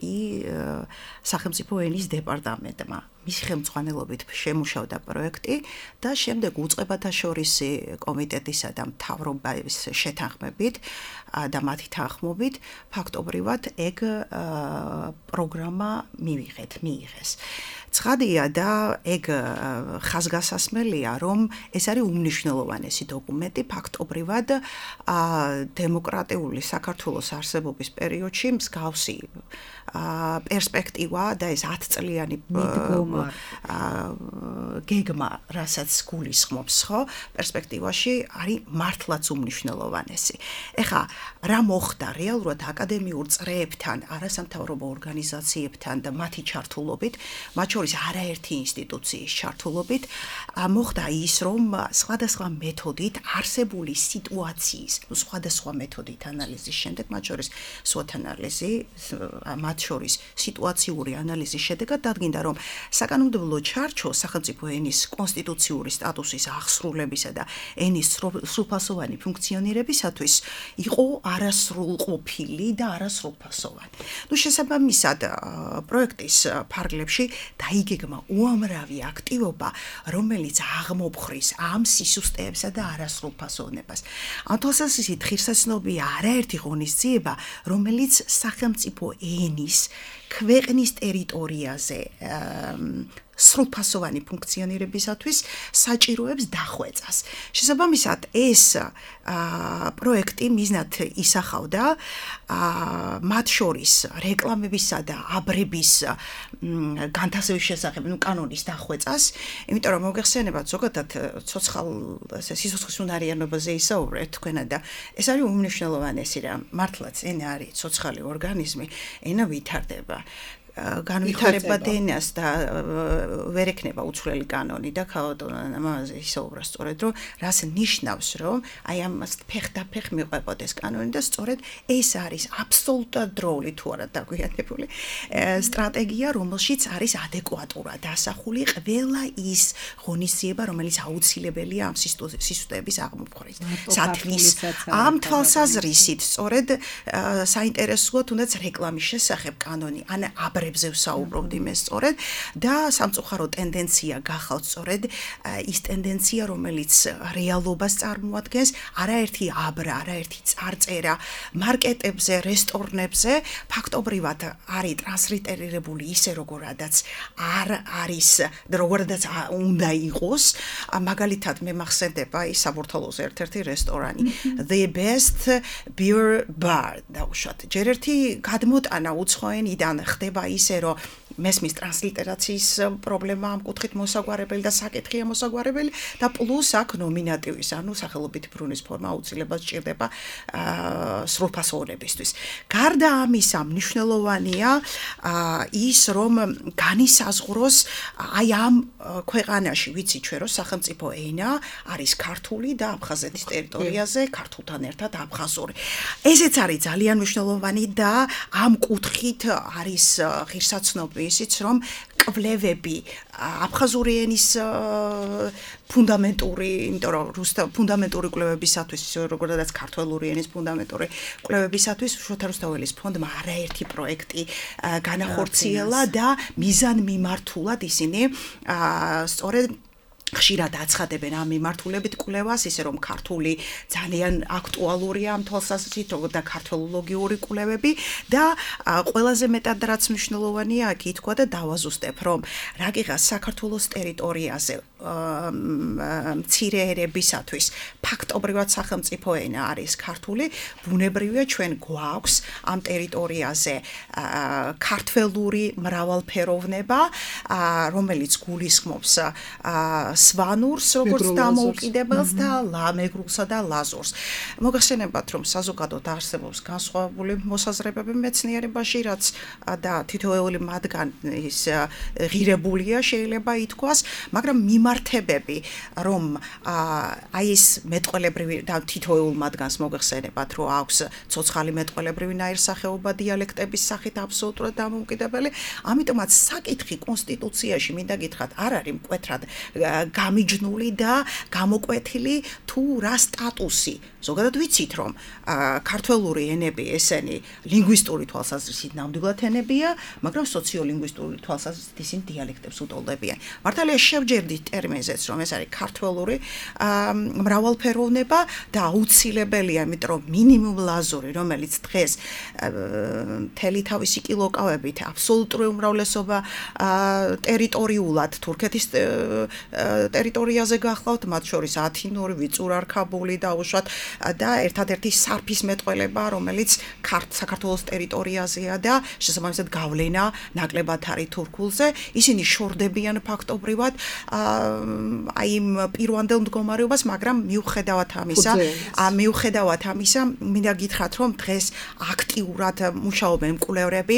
სახელმწიფო ენის დეპარტამენტმა. მისი ხელმძღვანელობით შემუშავდა პროექტი და შემდეგ უწყებათა შორისი კომიტეტისა და მთავრობის შეთანხმებით და მათი თანხმობით ფაქტობრივად ეგ პროგრამა მიიღეს. ცხადია და ეგ ხაზგასასმელია, რომ ეს არის უმნიშვნელოვანესი დოკუმენტი ფაქტობრივად დემოკრატიული საქართველოს არსებობის პერიოდში მსგავსი პერსპექტივა და ეს 10 წლიანი გეგმა, რასაც გულისხმობს, ხო, პერსპექტივაში არის მართლაც უმნიშვნელოვანესი. ეხლა რა მოხდა რეალურად აკადემიურ წრეებთან, არასამთავრობო ორგანიზაციებთან და მათი ჩართულობით, მათ შორის არაერთი ინსტიტუციის ჩართულობით, მოხდა ის, რომ სხვადასხვა მეთოდით არსებული სიტუაციის, სხვადასხვა მეთოდით ანალიზის შემდეგ, მათ შორის SWOT ანალიზი, მათ შორის სიტუაციური ანალიზის შედეგად დადგინდა, რომ საკანონმდებლო ჩარჩო სახელმწიფო ენის კონსტიტუციური სტატუსის აღსრულებისა და ენის სრულფასოვანი ფუნქციონირებისათვის იყო არასრულყოფილი და არასრულფასოვანი. შესაბამისად, პროექტის ფარგლებში დაიგეგმა უამრავი აქტივობა, რომელიც აღმოფხრის ამ სისუსტეებსა და არასრულფასოვნებას. ამ თვალსაზრისით ღირსაცნობია არაერთი ღონისძიება, რომელიც სახელმწიფო ენის ქვეყნის ტერიტორიაზე სრულფასოვანი ფუნქციონირებისათვის საჭიროებს დახვეწას. შესაბამისად, ეს პროექტი მიზნად ისახავდა მათ შორის რეკლამებისა და აბრების განთავსების შესახებ, კანონის დახვეწას, იმიტომ რომ მოგეხსენებათ ზოგადად ცოცხალ სიცოცხლის უნარიანობაზე ისაუბრეთ თქვენა და ეს არის უმნიშვნელოვანესი რა. მართლაც ენა არის ცოცხალი ორგანიზმი, ენა ვითარდება. განვითარებად ენას და ვერ ექნება უცვლელი კანონი და ქალბატონი ამაზე ისაუბრა სწორედ რომ რას ნიშნავს რომ აი ამას ფეხდაფეხ მიყვებოდეს კანონი და სწორედ ეს არის აბსოლუტურად დროული თუ არა დაგვიანებული სტრატეგია რომელშიც არის ადეკვატურად დასახული ყველა ის ღონისძიება რომელიც აუცილებელია ამ სისტემის აღმოფხრის სათვის ამ თვალსაზრისით სწორედ საინტერესოა თუნდაც რეკლამის შესახებ კანონი ან ზე ვსაუბრობდი მე სწორედ და სამწუხარო ტენდენცია გახავთ სწორედ ის ტენდენცია რომელიც რეალობას წარმოადგენს არაერთი აბრა არაერთი წარწერა მარკეტებზე რესტორნებზე ფაქტობრივად არის ტრანსლიტერირებული ისე როგორადაც არ არის როგორადაც უნდა იყოს მაგალითად მე მახსენდება ის საბურთალოზე ერთ-ერთი რესტორანი The Best Beer Bar და უშუალოდ ჯერ ერთი გადმოტანა უცხოენიდან ხდება ისე რომ მესმის ტრანსლიტერაციის პრობლემა ამ კუთხით მოსაგვარებელი და საკითხია მოსაგვარებელი და პლუს აქ ნომინატივის, ანუ სახელობითი ბრუნის ფორმა აუცილებლად სჭირდება სრულფასოვნებისთვის. გარდა ამისა, მნიშვნელოვანია ის, რომ განისაზღვროს აი ამ ქვეყანაში, ვიცი ჩვენ, რომ სახელმწიფო ენა არის ქართული და აფხაზეთის ტერიტორიაზე ქართულთან ერთად აფხაზური. ესეც არის ძალიან მნიშვნელოვანი და ამ კუთხით არის ღირსაცნობი ისიც, რომ კვლევები აფხაზური ენის ფუნდამენტური, იმიტომ რომ ფუნდამენტური კვლევებისათვის, როგორც ქართველური ენის ფუნდამენტური კვლევებისათვის შოთა რუსთაველის ფონდმა არაერთი პროექტი განახორციელა და მიზანმიმართულად ისინი სწორედ ხშირად აცხადებენ ამ მიმართულებით კვლევას, ისე რომ ქართული ძალიან აქტუალურია ამ თვალსაზრისით, როგორც და ქართველოლოგიური კვლევები და ყველაზე მეტად რაც მნიშვნელოვანია, აქ ითქვა და დავაზუსტებ, რომ რაგიღაც საქართველოს ტერიტორიაზე მცირე ერებისათვის ფაქტობრივად სახელმწიფო ენა არის ქართული, ბუნებრივია ჩვენ გვაქვს ამ ტერიტორიაზე ქართველური მრავალფეროვნება, რომელიც გულისხმობს სვანურს, როგორც დამოუკიდებელს და მეგრულსა და ლაზურს. მოგახსენებათ, რომ საზოგადოდ არსებობს განსხვავებული მოსაზრებები მეცნიერებაში, რაც და თითოეული მათგანის ღირებულია შეიძლება ითქვას, მაგრამ მიმართებები, რომ აი ეს მეტყველებრივი და თითოეულ მათგანს მოგახსენებათ, რომ აქვს ცოცხალი მეტყველებრივი ნაირსახეობა დიალექტების სახით აბსოლუტურად დამოუკიდებელი, ამიტომაც საკითხი კონსტიტუციაში მინდა გითხრათ, არ არის მკვეთრად გამიჯნული და გამოკვეთილი თუ რა სტატუსი. ზოგადად ვიცით, რომ ქართველური ენები ესენი ლინგვისტური თვალსაზრისით ნამდვილად ენებია, მაგრამ სოციოლინგვისტური თვალსაზრისით ისინი დიალექტებს უტოლდებიან. მართალია შევჯერდით ტერმინზეც, რომ ეს არის ქართველური მრავალფეროვნება და აუცილებელია, იმიტომ რომ მინიმუმ ლაზური, რომელიც დღეს მთელი თავისი კილოკავებით აბსოლუტური უმრავლესობა ტერიტორიულად თურქეთის ტერიტორიაზე გახლავთ, მათ შორის ათინური, ვიწურარქაბული და უშუალოდ და ერთადერთი სარფის მეტყველება, რომელიც საქართველოს ტერიტორიაზეა და შესაბამისად გავლენა ნაკლებად არის თურქულზე. ისინი შორდებიან ფაქტობრივად აი იმ პირვანდელ მდგომარეობას, მაგრამ მიუხედავად ამისა, მინდა გითხრათ, რომ დღეს აქტიურად მუშაობენ მკვლევრები,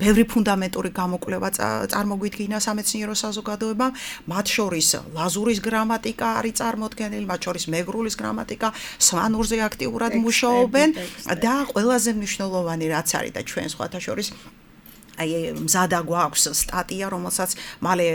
ბევრი ფუნდამენტური გამოკვლევა წარმოგვიდგინა სამეცნიერო საზოგადოებამ, მათ შორის ლაზურის გრამატიკა არის წარმოდგენილი, მათ შორის მეგრულის გრამატიკა, სვანურზე აქტიურად მუშაობენ და ყველაზე მნიშვნელოვანი რაც არის და ჩვენ სხვათა შორის აი მზადა გვაქვს სტატია, რომელსაც მალე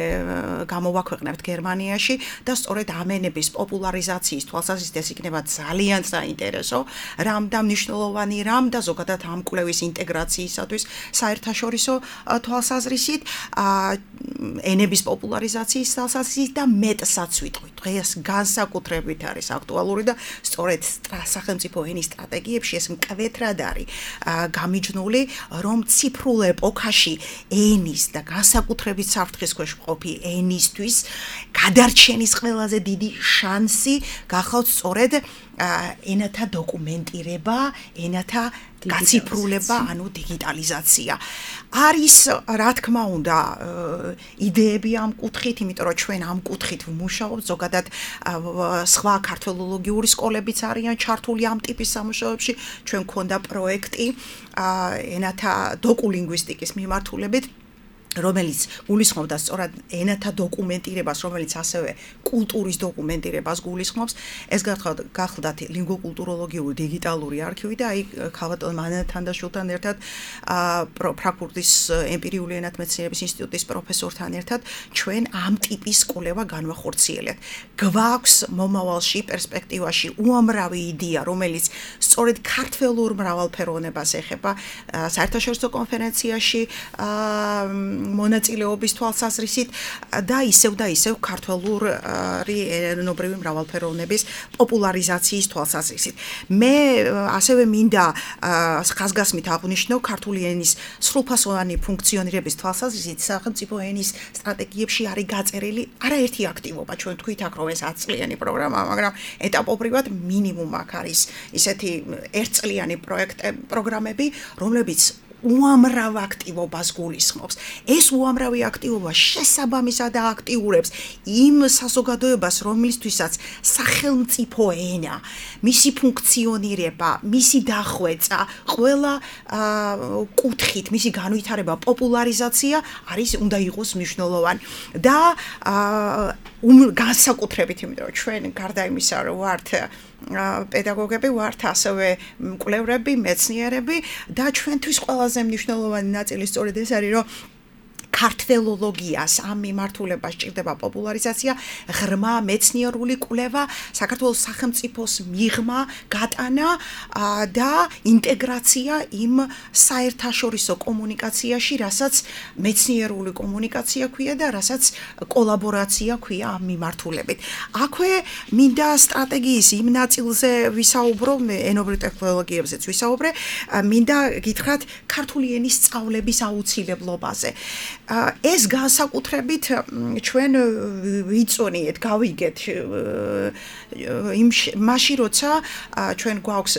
გამოვაქვეყნებთ გერმანიაში და სწორედ ამ ენების პოპულარიზაციის თვალსაზრისით ეს იქნება ძალიან საინტერესო რამ და მნიშვნელოვანი რამ და ზოგადად ამ კვლევის ინტეგრაციისათვის საერთაშორისო თვალსაზრისით ენების პოპულარიზაციის თვალსაზრისით და მეტსაც ვიტყვი. დღეს განსაკუთრებით არის აქტუალური და სწორედ სახელმწიფო ენის სტრატეგიებში ეს მკვეთრად არის გამიჯნული, რომ ციფრულ ეპოქაში ენის და განსაკუთრებით საფრთხის ქვეშ მყოფი ენისთვის გადარჩენის ყველაზე დიდი შანსი გახავთ სწორედ ენათა დოკუმენტირება, ენათა გაციფრულება, ანუ დიგიტალიზაცია. არის, რა თქმა უნდა, იდეები ამ კუთხით, იმიტომ რომ ჩვენ ამ კუთხით ვმუშაობთ, ზოგადად სხვა ქართველოლოგიური სკოლებიც არიან ჩართული ამ ტიპის სამუშაოებში. ჩვენ გვქონდა პროექტი ენათა დოკულინგვისტიკის მიმართულებით, რომელიც გულისხმობდა სწორად ენათა დოკუმენტირებას, რომელიც ასევე კულტურის დოკუმენტირებას გულისხმობს. ეს გახლდათ ლინგვოკულტუროლოგიური დიგიტალური არქივი და აი ქალბატონ მანათანდაშვილთან ერთად ფრანკფურტის ემპირიული ენათმეცნიერების ინსტიტუტის პროფესორთან ერთად ჩვენ ამ ტიპის კვლევა განვახორციელებთ. გვაქვს მომავალში პერსპექტივაში უამრავი იდეა, რომელიც სწორედ ქართველურ მრავალფეროვნებას ეხება საერთაშორისო კონფერენციაში მონაწილეობის თვალსაზრისით და ისევ ქართველური ენობრივი მრავალფეროვნების პოპულარიზაციის თვალსაზრისით. მე ასევე მინდა ხაზგასმით აღვნიშნო ქართული ენის სრულფასოვანი ფუნქციონირების თვალსაზრისით სახელმწიფო ენის სტრატეგიებში არის გაწერილი არაერთი აქტივობა. ჩვენ თქვით აქ რომ ეს 10 წლიანი პროგრამაა, მაგრამ ეტაპობრივად მინიმუმ აქ არის ისეთი ერთწლიანი პროგრამები, რომლებიც უამრავ აქტივობას გულისხმობს. ეს უამრავი აქტივობა შესაბამისად აქტიურებს იმ საზოგადოებას, რომლისთვისაც სახელმწიფო ენა, მისი ფუნქციონირება, მისი დახვეწა, ყველა კუთხით მისი განვითარება, პოპულარიზაცია უნდა იყოს მნიშვნელოვანი და განსაკუთრებით, იმიტომ რომ ჩვენ გარდა იმისა, რომ ვართ პედაგოგები ვართ, ასევე მკვლევრები, მეცნიერები და ჩვენთვის ყველაზე მნიშვნელოვანი ნაწილი სწორედ ეს არის, რომ ქართველოლოგიას ამ მიმართულებას ჭირდება პოპულარიზაცია, ღრმა მეცნიერული კვლევა, საქართველოს სახელმწიფოს მიღმა, გატანა და ინტეგრაცია იმ საერთაშორისო კომუნიკაციაში, რასაც მეცნიერული კომუნიკაცია ქვია და რასაც კოლაბორაცია ქვია ამ მიმართულებით. აქვე მინდა სტრატეგიის იმ ნაწილზე ვისაუბრო, ენობრივ ტექნოლოგიებზეც ვისაუბრე, მინდა გითხრათ ქართული ენის სწავლების აუცილებლობაზე. ეს განსაკუთრებით ჩვენ ვიწონიეთ, გავიგეთ მაშინ როცა ჩვენ გვაქვს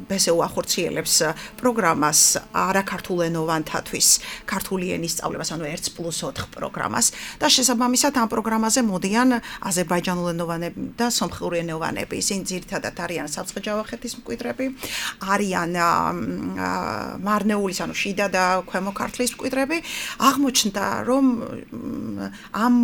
ბესეუ ახორციელებს პროგრამას არაქართულენოვანთათვის ქართული ენის სწავლებას, ანუ 1+4 პროგრამას და შესაბამისად ამ პროგრამაზე მოდიან აზერბაიჯანულენოვანები და სომხურენოვანები. ისინი ძირითადად არიან სამცხე-ჯავახეთის მკვიდრები, არიან მარნეულის, ანუ შიდა და ქვემო ქართლის მკვიდრები. აღმოჩნდა, რომ ამ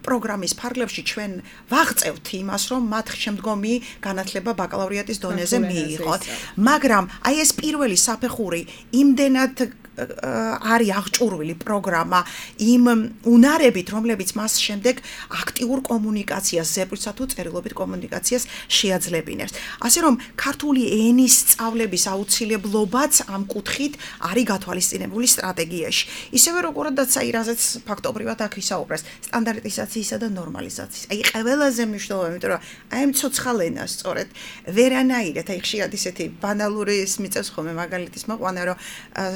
პროგრამის ფარგლებში ჩვენ ვაღწევთ იმას, რომ მათ შემდგომი განათლება ბაკალავრიატის დონეზე მიიღოთ. მაგრამ აი ეს პირველი საფეხური იმდენად არის აღჭურვილი პროგრამა იმ უნარებით, რომლებიც მას შემდეგ აქტიურ კომუნიკაციას, ზეპირსა თუ წერილობით კომუნიკაციას შეაძლებინებს. ასე რომ ქართული ენის სწავლების აუცილებლობაც ამ კუთხით არის გათვალისწინებული სტრატეგიაში. ისევე როგორადაც აი რაზეც ფაქტობრივად აქ ვისაუბრეს, სტანდარტიზაციისა და ნორმალიზაციის. აი ყველაზე მნიშვნელოვანი, იმიტომ რომ აი ამ ცოცხალ ენას სწორედ ვერანაირად, აი ხშირად ისეთი ბანალური ის მიწევს ხოლმე მაგალითის მოყვანა, რომ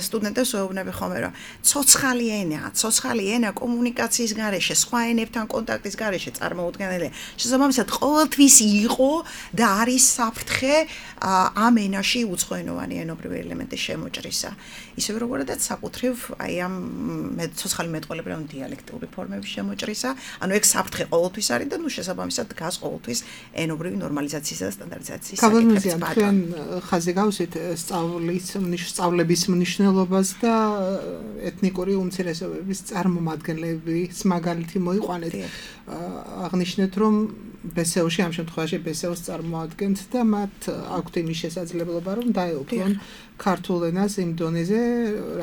სტუდენტებს ვეუბნები ხოლმე, რომ ცოცხალი ენა კომუნიკაციის გარეშე, სხვა ენებთან კონტაქტის გარეშე წარმოუდგენელია. შესაბამისად, ყოველთვის იყო და არის საფრთხე ამ ენაში უცხოენოვანი ენობრივი ელემენტის შემოჭრისა. ისევე როგორადაც საკუთრივ აი ამ ცოცხალი მეტყველები რომ დიალექტური ფორმების შემოჭრისა, ანუ ეგ საფრთხე ყოველთვის არის და ნუ შესაბამისად დგას ყოველთვის ენობრივი ნორმალიზაციისა და სტანდარტიზაციის საკითხების ბატონი. ჩვენ ხაზი გავუსვით სწავლების მნიშვნელობას და ეთნიკური უმცირესობების წარმომადგენლების მაგალითი მოიყვანეთ. აღნიშნეთ, რომ ბესეუში ამ შემთხვევაში ბესეუს წარმოადგენთ და მათ აქვთ იმის შესაძლებლობა, რომ დაეუფლონ ქართულ ენას იმ დონეზე,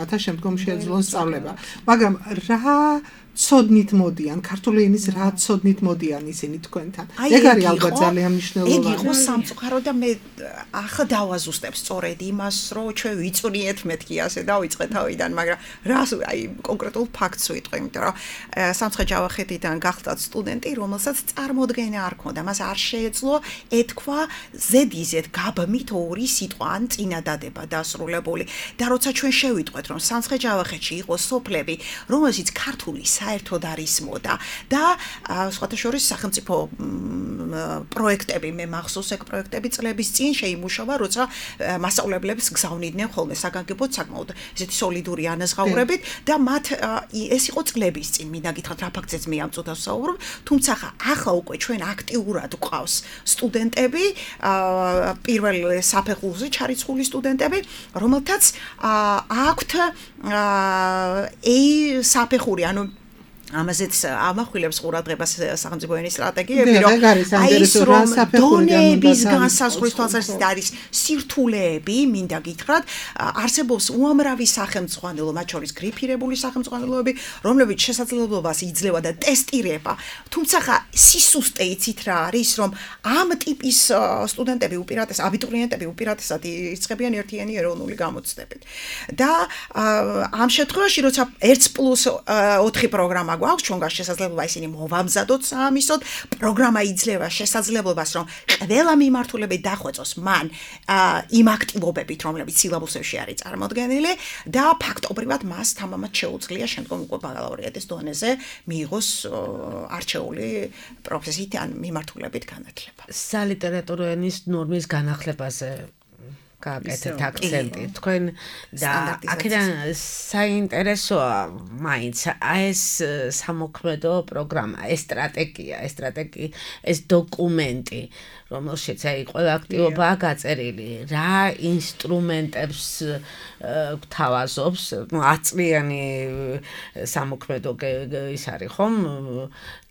რათა შემდგომ შეეძლონ სწავლება. მაგრამ რა ცოდნით მოდიან, ქართული ენის რა ცოდნით მოდიან ისინი თქვენთან. ეგ არის ალბათ ძალიან მნიშვნელოვანი. ეგ იყო სამწუხარო და მე ახლა დავაზუსტებ სწორედ იმას, რომ ჩვენ ვიწვრიეთ მეთქი ასე დავიწყე თავიდან, მაგრამ რას აი კონკრეტულ ფაქტს ვიტყვი, იმიტომ რომ სამცხე-ჯავახეთიდან გახლდათ სტუდენტი, რომელსაც წარმოდგენა არ ქონდა, მას არ შეეძლო ეთქვა ზედიზედ გაბმით ორი სიტყვა ან წინადადება დასრულებული. და როცა ჩვენ შევიტყვეთ, რომ სამცხე-ჯავახეთში იყო სოფლები, რომელშიც ქართული საერთოდ არ ისმოდა და სხვათა შორის სახელმწიფო პროექტები, მე მახსოვს ეგ პროექტები წლების წინ შეიმუშავა, როცა მასწავლებლებს გზავნიდნენ ხოლმე საგანგებოდ საკმაოდ ესეთი სოლიდური ანაზღაურებით და მათ ეს იყო წლების წინ, მინდა გითხრათ რა ფაქტზეც მე ამ წუთას ვსაუბრობ, თუმცა ახლა უკვე ჩვენ აქტიურად გვყავს სტუდენტები, პირველ საფეხურზე ჩარიცხული სტუდენტები, რომელთაც აქვთ საფეხური, ანუ ამაზეც ამახვილებს ყურადღებას სახელმწიფო ენის სტრატეგიები, რომ აი ეს რომ დონეების განსაზღვრის თვალსაზრისით არის სირთულეები, მინდა გითხრათ, არსებობს უამრავი სახელმძღვანელო, მათ შორის გრიფირებული სახელმძღვანელოები, რომლებიც შესაძლებლობას იძლევა და ტესტირება. თუმცა სისუსტე იცით რა არის, რომ ამ ტიპის სტუდენტები უპირატესად, აბიტურიენტები უპირატესად იწყებიან ერთიანი ეროვნული გამოცდებით. და ამ შემთხვევაში, როცა 1+4 პროგრამა გვაქვს, ჩვენ გვაქვს შესაძლებლობა ისინი მოვამზადოთ საამისოდ, პროგრამა იძლევა შესაძლებლობას, რომ ყველა მიმართულებით დახვეწოს მან იმ აქტივობებით, რომლებიც სილაბუსებში არის წარმოდგენილი და ფაქტობრივად მას თამამად შეუძლია შემდგომ უკვე ბაკალავრიატის დონეზე მიიღოს არჩეული პროფესიით ან მიმართულებით განათლება. სალიტერატურო ენის ნორმის განახლებაზე გააკეთეთ აქცენტი თქვენ და აქედან საინტერესოა მაინც ეს სამოქმედო პროგრამა, ეს სტრატეგია, ეს დოკუმენტი, რომელშიც აი ყველა აქტივობაა გაწერილი, რა ინსტრუმენტებს გთავაზობს, აწლიანი სამოქმედო ის არის ხომ,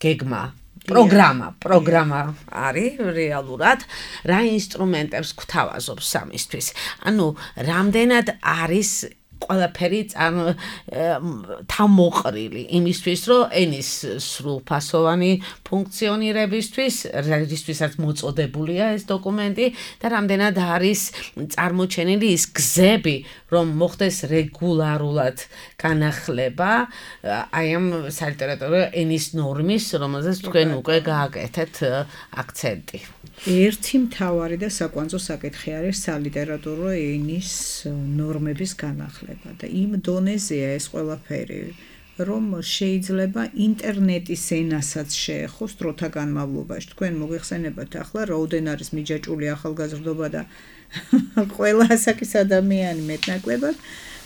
გეგმა პროგრამა არის რეალურად რა ინსტრუმენტებს გთავაზობს სამისთვის. ანუ რამდენად არის ყველაფერი თამოყრილი იმისთვის, რომ ენის სრულფასოვანი ფუნქციონირებისთვის, რისთვისაც მოწოდებულია ეს დოკუმენტი და რამდენად არის წარმოჩენილი ის გზები, რომ მოხდეს რეგულარულად განახლება აი ამ სალიტერატურო ენის ნორმის, რომელზეც თქვენ უკვე გააკეთეთ აქცენტი. ერთი მთავარი და საკვანძო საკითხი არის სალიტერატურო ენის ნორმების განახლება და იმ დონეზეა ეს ყველაფერი, რომ შეიძლება ინტერნეტის ენასაც შეეხოს დროთა განმავლობაში. თქვენ მოგეხსენებათ ახლა რაოდენ არის მიჯაჭული ახალგაზრდობა და ყველა ასაკის ადამიანი მეტნაკლებად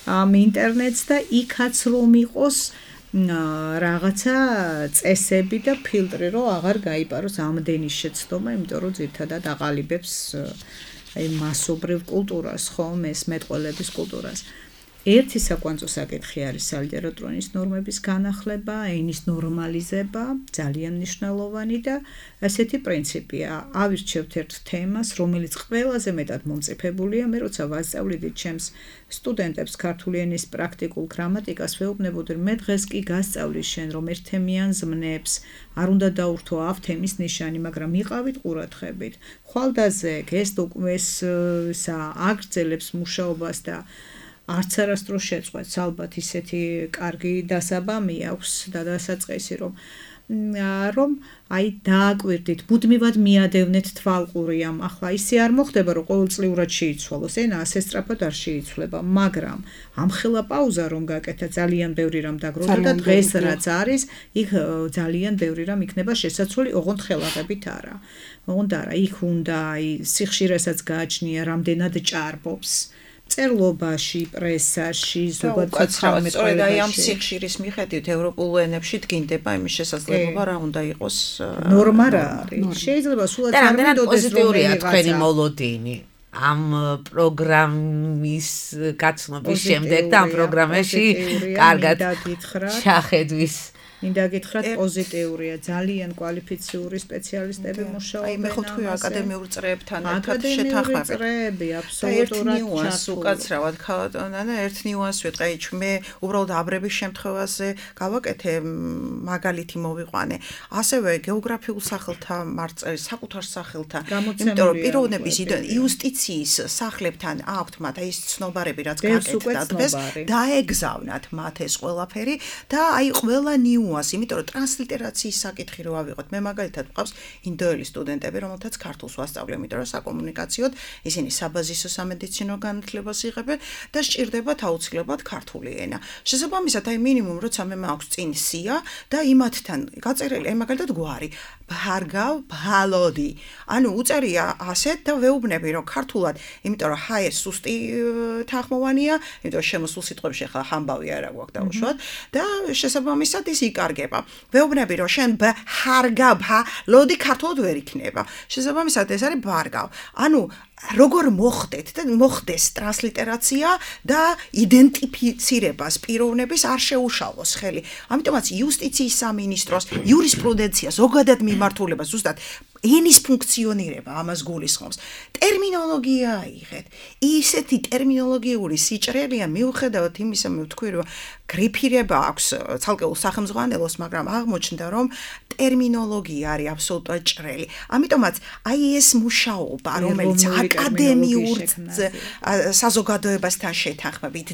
ამ ინტერნეტს და იქაც რომ იყოს რაღაცა წესები და ფილტრი, რომ აღარ გაიპაროს ამდენი შეცდომა, იმიტომ რომ ძირითადად აყალიბებს აი მასობრივ კულტურას, ხომ, ეს მეტყველების კულტურას. ერთი საკვანძო საკითხი არის სალიტერატურო ენის ნორმების განახლება, ენის ნორმალიზება, ძალიან მნიშვნელოვანი და ასეთი პრინციპია. ავირჩევთ ერთ თემას, რომელიც ყველაზე მეტად მომწიფებულია, მე როცა ვასწავლიდით ჩემს სტუდენტებს ქართული ენის პრაქტიკულ გრამატიკას, ვეუბნებოდი, მე დღეს კი გასწავლის შენ, რომ ერთთემიან ზმნებს არ უნდა დაურთო ამ თემის ნიშანი, მაგრამ იყავით ყურადღებით. ხვალდაზე ეს აგრძელებს მუშაობას და არც არასდროს შეწყვეტს, ალბათ ისეთი კარგი დასაბამი აქვს და დასაწყისი, რომ აი დააკვირდით, მუდმივად მიადევნეთ თვალყურიამ. ახლა ისე არ მოხდება, რომ ყოველწლიურად შეიცვალოს, ენა ასე სწრაფად არ შეიცვლება, მაგრამ ამხელა პაუზა რომ გაკეთა, ძალიან ბევრი რამ დაგროვდა და დღეს რაც არის, იქ ძალიან ბევრი რამ იქნება შესაძლებელი, ოღონდ ხელაღებით არა. ოღონდ არა, იქ უნდა აი სიხშირესაც გააჩნია, რამდენად ჭარბობს. წერლობაში, პრესაში, ზოგადად სწორედ აი ამ სიხშირის მიხედვით ევროპულ ენებში დგინდება იმის შესაძლებლობა, რა უნდა იყოს ნორმა რა არის. შეიძლება სულად არ მიდოდეს პოზიტიურია თქვენი მოლოდინი ამ პროგრამის გაცნობის შემდეგ და ამ პროგრამაში კარგად ჩახედვის. მინდა გითხრათ პოზიტიურია, ძალიან კვალიფიციური სპეციალისტები მუშაობენ. აი მე ხო თქვი აკადემიურ წრეებთან ერთად შეთანხმებით. აკადემიური წრეები აბსოლუტურად უკაცრავად ქალატონა და ერთ ნიუანსს ვიტყვი, მე უბრალოდ აბრების შემთხვევაზე გავაკეთე მაგალითი მოვიყვანე. ასევე გეოგრაფიულ სახელთა მარწერის, საკუთარ სახელთა, იმიტომ რომ პიროვნების იუსტიციის სახლებთან აქვთ მათ აი ეს ცნობარები რაც გაკეთდა დღეს, დაეგზავნათ მათ ეს ყველაფერი და აი ყველა იმიტომ რომ ტრანსლიტერაციის საკითხი რო ავიღოთ, მე მაგალითად ვყავს ინდოელი სტუდენტები, რომელთაც ქართულს ვასწავლე, იმიტომ რომ საკომუნიკაციოდ ისინი საბაზისო სამედიცინო განათლებას იღებენ და სჭირდებათ აუცილებლად ქართული ენა. შესაბამისად, აი მინიმუმ როცა მე მაქვს წინ სია და იმათთან გაწერილი, აი მაგალითად გვარი ბჰარგავ ბჰალოდი. ანუ უწერია ასეთ და ვეუბნები რომ ქართულად, იმიტომ რომ ჰაე სუსტი თანხმოვანია, იმიტომ რომ შემოსულ სიტყვებში ახლა ამბავი არა გვაქვს დაუშვათ და შესაბამისად ის იკარგება. ვეუბნები რომ შენ ბჰარგავ ბჰალოდი ქართულად ვერ იქნება. შესაბამისად ეს არის ბარგავ. ანუ როგორ მოხდეს ტრანსლიტერაცია და იდენტიფიცირებას პიროვნების არ შეუშალოს ხელი. ამიტომაც იუსტიციის სამინისტროს იურისპრუდენცია ზოგადად მიმართულება ზუსტად ენის ფუნქციონირება ამას გულისხმობს. ტერმინოლოგია აიღეთ. ისეთი ტერმინოლოგიური სიჭრელია მიუხედავად იმისა, მე ვთქვი რომ გრიფირება აქვს ცალკეულ სახელმძღვანელოს, მაგრამ აღმოჩნდა რომ ტერმინოლოგია არის აბსოლუტურად ჭრელი. ამიტომაც აი ეს მუშაობა, რომელიც აკადემიურ საზოგადოებასთან შეთანხმებით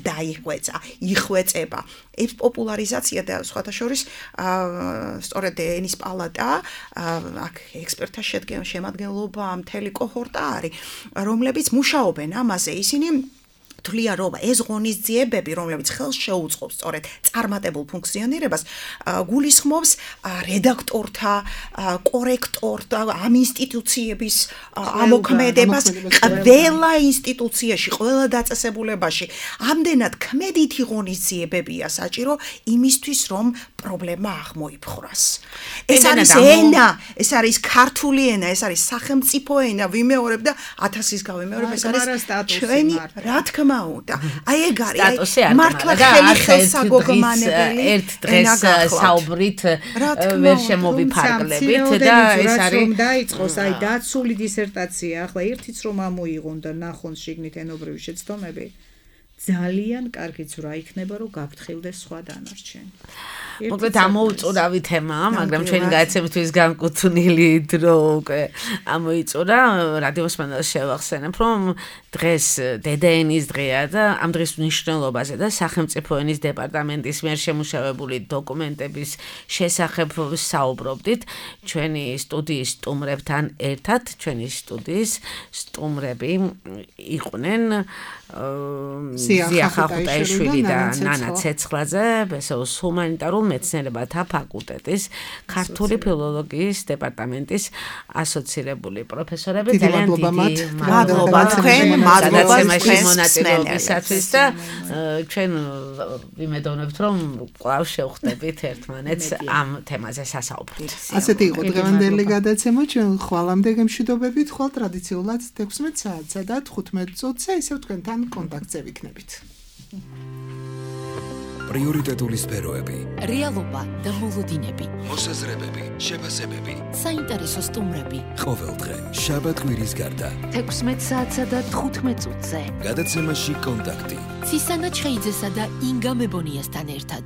იხვეწება. ეს პოპულარიზაცია და სხვათა შორის სწორედ ენის პალატა აქ ექსპერტთა შემადგენლობა მთელი კოჰორტა არის, რომლებიც მუშაობენ ამაზე. ისინი ვთვლია, რომ ეს ღონისძიებები, რომლებიც ხელს შეუწყობს სწორედ წარმატებულ ფუნქციონირებას, გულისხმობს რედაქტორთა, კორექტორთა, ამ ინსტიტუციების ამოქმედებას ყველა ინსტიტუციაში, ყველა დაწესებულებაში. ამდენად ქმედითი ღონისძიებებია საჭირო იმისთვის, რომ პრობლემა აღმოიფხვრას. ეს არის ენა, ეს არის ქართული ენა, ეს არის სახელმწიფო ენა, ვიმეორებ და 1000-ის გავიმეორებ, ეს არის ჩვენი, რა თქმა უნდა. აი ეგ არის, მართლა ხელსაგოგმანებელი ერთ დღეს საუბრით ვერ შემოვიფარგლებით და ეს არის რომ დაიწყოს აი დაცული დისერტაცია, ახლა ერთიც რომ ამოიღონ და ნახონ შიგნით ენობრივი შეცდომები, ძალიან კარგიც რა იქნება რომ გაფრთხილდეს სხვა დანარჩენი. მოკლედ ამოუწურავი თემაა, მაგრამ ჩვენი გადაცემისთვის განკუთვნილი დრო უკვე ამოიწურა. რადიოს მანდალს შევახსენებ, რომ დღეს დედაენის დღეა და ამ დღის მნიშვნელობაზე და სახელმწიფო ენის დეპარტამენტის მიერ შემუშავებული დოკუმენტების შესახებ საუბრობდით ჩვენი სტუდიის სტუმრებთან ერთად. ჩვენი სტუდიის სტუმრები იყვნენ ზია ხახუტაიშვილი და ნანა ცეცხლაძე, ბესოუს ჰუმანიტარულ მეცნიერებათა ფაკულტეტის ქართული ფილოლოგიის დეპარტამენტის ასოცირებული პროფესორები. ძალიან დიდი მადლობა თქვენ, მადლობა მონაწილეობისათვის და ჩვენ ვიმედოვნებთ, რომ კვლავ შევხვდებით ერთმანეთს ამ თემაზე სასაუბრით. ასეთი იყო დღევანდელი გადაცემა, ჩვენ ხვალამდე გემშვიდობებით, ხვალ ტრადიციულად 16 საათსა და 15 წუთზე ისევ თქვენთან კონტაქტზე ვიქნებით. პრიორიტეტული სფეროები, რეალობა და მოლოდინები, მოსაზრებები, შეფასებები, საინტერესო სტუმრები. ყოველდღე შაბათ-კვირის გარდა 16 საათსა და 15 წუთზე. გადაცემაში კონტაქტი. ცისანა ჩხეიძესა და ინგა მებონიასთან ერთად.